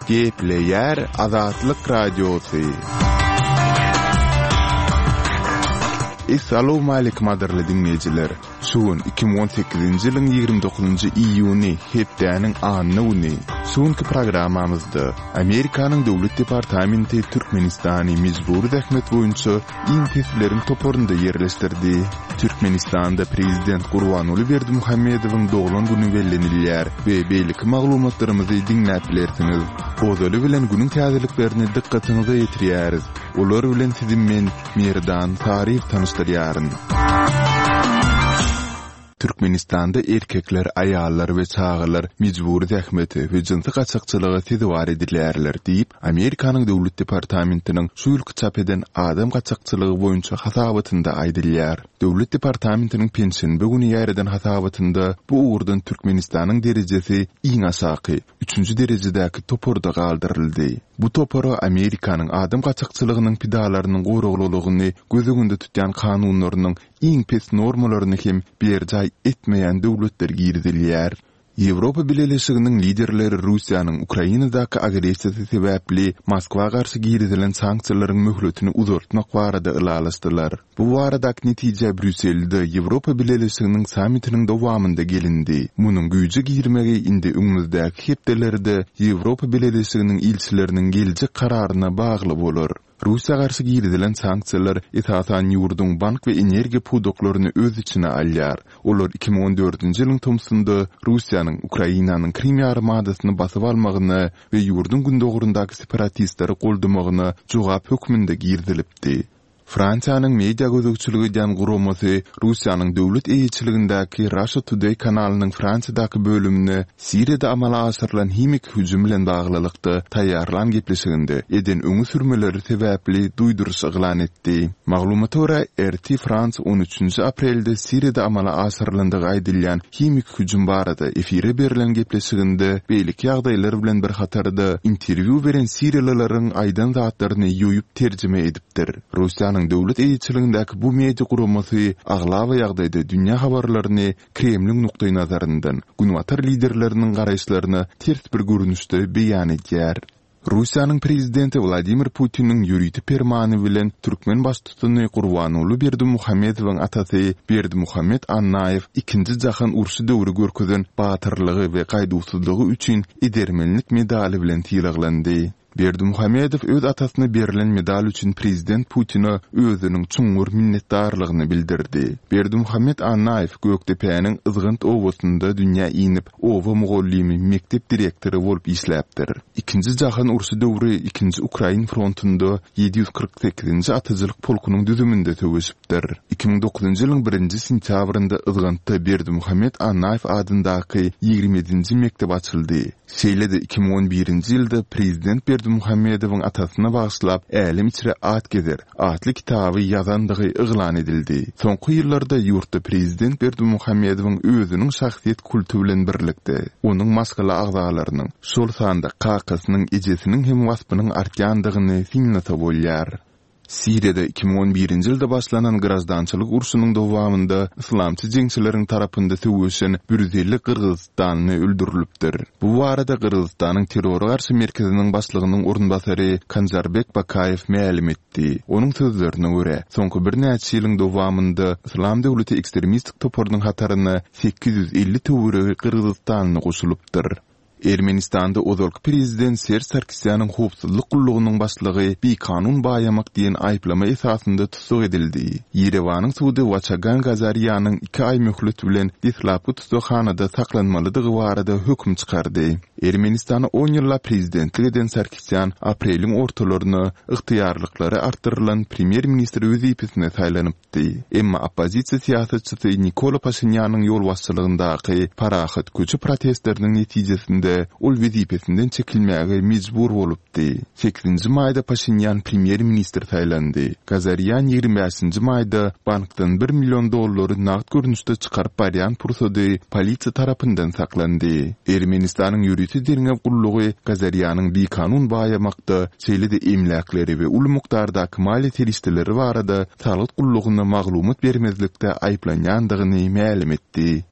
Gepleýär Azatlyk Radiosy. Essalawmaleýkim gadyrly diňleýjiler! Şu gün 2018-nji ýylyň 29-njy iýuny, hepdäniň anna güni. Şu günki programmamyzda Amerikanyň Döwlet departamenti Türkmenistany mejbury zähmet boýunça iň pesleriň toparynda ýerleşdirdi. Türkmenistanda prezident Gurbanguly Berdimuhamedowyň doglan güni bellenilýär we beýleki maglumatlarymyzy diňläp bilersiňiz. Ozaly bilen günüň täzeliklerini dykgatyňyza ýetirýäris. Olar bilen sizi men, Merdan Saryýew tanyşdyrýaryn. Türkmenistanda erkekler, aýallar we çagalar mejbury zähmete we jynsy gaçakçylyga sezewar edilýärler diýip, Amerikanyň Döwlet departamentiniň şu ýylky çap eden adam gaçakçylygy boýunça hasabatynda aýdylýar. Döwlet departamentiniň penşenbe güni ýaýradan hasabatynda bu ugurdan Türkmenistanyň derejesi iň aşaky, üçünji derejedäki toparda galdyryldy. Bu topara Amerikanyň adam gaçakçylygynyň pidalarynyň goraglylygyny göz öňünde tutýan kanunlarynyň iň pes normalaryny hem berjaý etmeýän döwletler girizilýär. Ýewropa Bileleşiginiň liderleri Russiýanyň Ukrainadaky agressiýasy sebäpli Moskwa garşy girizilen sanksiýalaryň möhletini uzaltmak barada ylalaşdylar. Bu baradaky netijä Brýusselde Ýewropa Bileleşiginiň sammitiniň dowamynda gelindi. Munuň güýje girmegi indi öňümizdäki hepdelerde Ýewropa Bileleşiginiň ilçileriniň geljek kararyna bagly bolar. Russiýa garşy girizilen sanksiýalar esasan ýurduň bank we energiýa pudaklaryny öz içine alýar. Olar 2014-nji ýylyň tomsunda Russiýanyň Ukrainanyň Krym ýarymadasyny basyp almagyna we ýurduň gündogaryndaky separatistleri goldamagyna jogap hökmünde girizilipdi. Fransiýanyň media gözegçilik edýän guramasy Russiýanyň döwlet eýeçiligindäki Russia Today kanalynyň Fransiýadaky bölümine Siriýada amala aşyrylan himiki hüjüm bilen baglylykda taýýarlan gepleşiginde eden öňe sürmeleri sebäpli duýduryş yglan etdi. Maglumata görä, RT France on üçünji aprelde Siriýada amala aşyrylandygy aýdylýan himiki hüjüm barada efire berlen gepleşiginde beýleki ýagdaýlar bilen bir hatarda interwýu beren siriýalylaryň aýdan zatlaryny ýoýup terjime edipdir. Russiýanyň döwlet eýeçiligindäki bu media guramasy aglaba ýagdaýda dünýä habarlaryny Kremliň nukdaýnazaryndan, günbatar liderleriniň garaýyşlaryna ters bir görnüşde beýan edýär. Russiýanyň prezidenti Wladimir Putiniň ýörite permany bilen türkmen baştutany Gurbanguly Berdimuhamedowyň atasy Berdimuhamet Annaýew Ikinji jahan urşy döwri görkezen batyrlygy we gaýduwsyzlygy üçin Edermenlik medaly bilen sylaglandy. Berdimuhamedow öz atasyna berlen medal üçin prezident Putine özüniň çuňňur minnetdarlygyny bildirdi. Berdimuhamet Annaýew Gökdepäniň Yzgant obasynda dünýä inip, oba mugallymy, mekdep direktory bolup işläpdir. Ikinji jahan urşy döwri Ikinji Ukrain frontunda 748-nji atyjylyk polkunyň düzüminde söweşipdir. 2009-njy ýylyň birinji sentýabrynda Yzgantda Berdimuhamet Annaýew adyndaky 27-nji mekdep açyldy. Şeýle-de 2011-nji ýylda prezident Berdimuhamedowyň atasyna bagyşlap Älem içre at gezer atly kitaby ýazandygy yglan edildi. Soňky ýyllarda ýurtda prezident Berdimuhamedowyň özüniň şahsyýet kulty bilen birlikde, onuň maşgala agzalarynyň, şol sanda kakasynyň, ejesiniň hem waspynyň artýandygyny synlasa bolýar. Siriýada 2011-nji ýylda başlanan graždançylyk urşunyň dowamynda yslamçy jeňçileriň tarapynda söweşen 150 gyrgyzystanly öldürilipdir. Bu barada Gyrgyzystanyň Terrora garşy merkeziniň başlygynyň orunbasary Kanžarbek Bakaýew mälim etdi. Onuň sözlerine görä, soňky birnäçe ýylyň dowamynda Yslam döwleti ekstremistik toparynyň hataryna 850 töweregi gyrgyzystanly goşulypdyr. Ermenistanda ozalky prezident Serž Sarkisýanyň howpsuzlyk gullugynyň başlygy bikanun baýamak diýen aýyplama esasynda tussag edildi. Ýerewanyň sudy Waçagan Gazarýanyň iki aý möhlet bilen deslapky tussaghanada saklanmalydygy barada höküm çykardy. Ermenistana on ýyllap prezidentlik eden Sarkisýan apreliň ortalaryna ygtyýarlyklary artdyrylan premýer-ministr wezipesine saýlanypdy. Di. Emma oppozisiýa syýasatçysy Nikola Paşinýanyň ýolbaşçylygyndaky parahat köçe protestleriniň netijesinde ol wezipesinden çekilmäge mejbur bolupdy. Sekizinji maýda Paşinýan premýer-ministr saýlandy. Gazarýan 25 nji maýda bankdan bir million dollary nagt görnüşde çykaryp barýan pursady polisiýa tarapyndan saklandy. Ermenistanyň ýörite derňew gullugy Gazarýanyň bikanun baýamakda, şeýle-de emläkleri we uly mukdardaky maliýe serişdeleri barada salgyt gullugyna maglumat bermezlikde aýyplanýandygyny mälim etdi.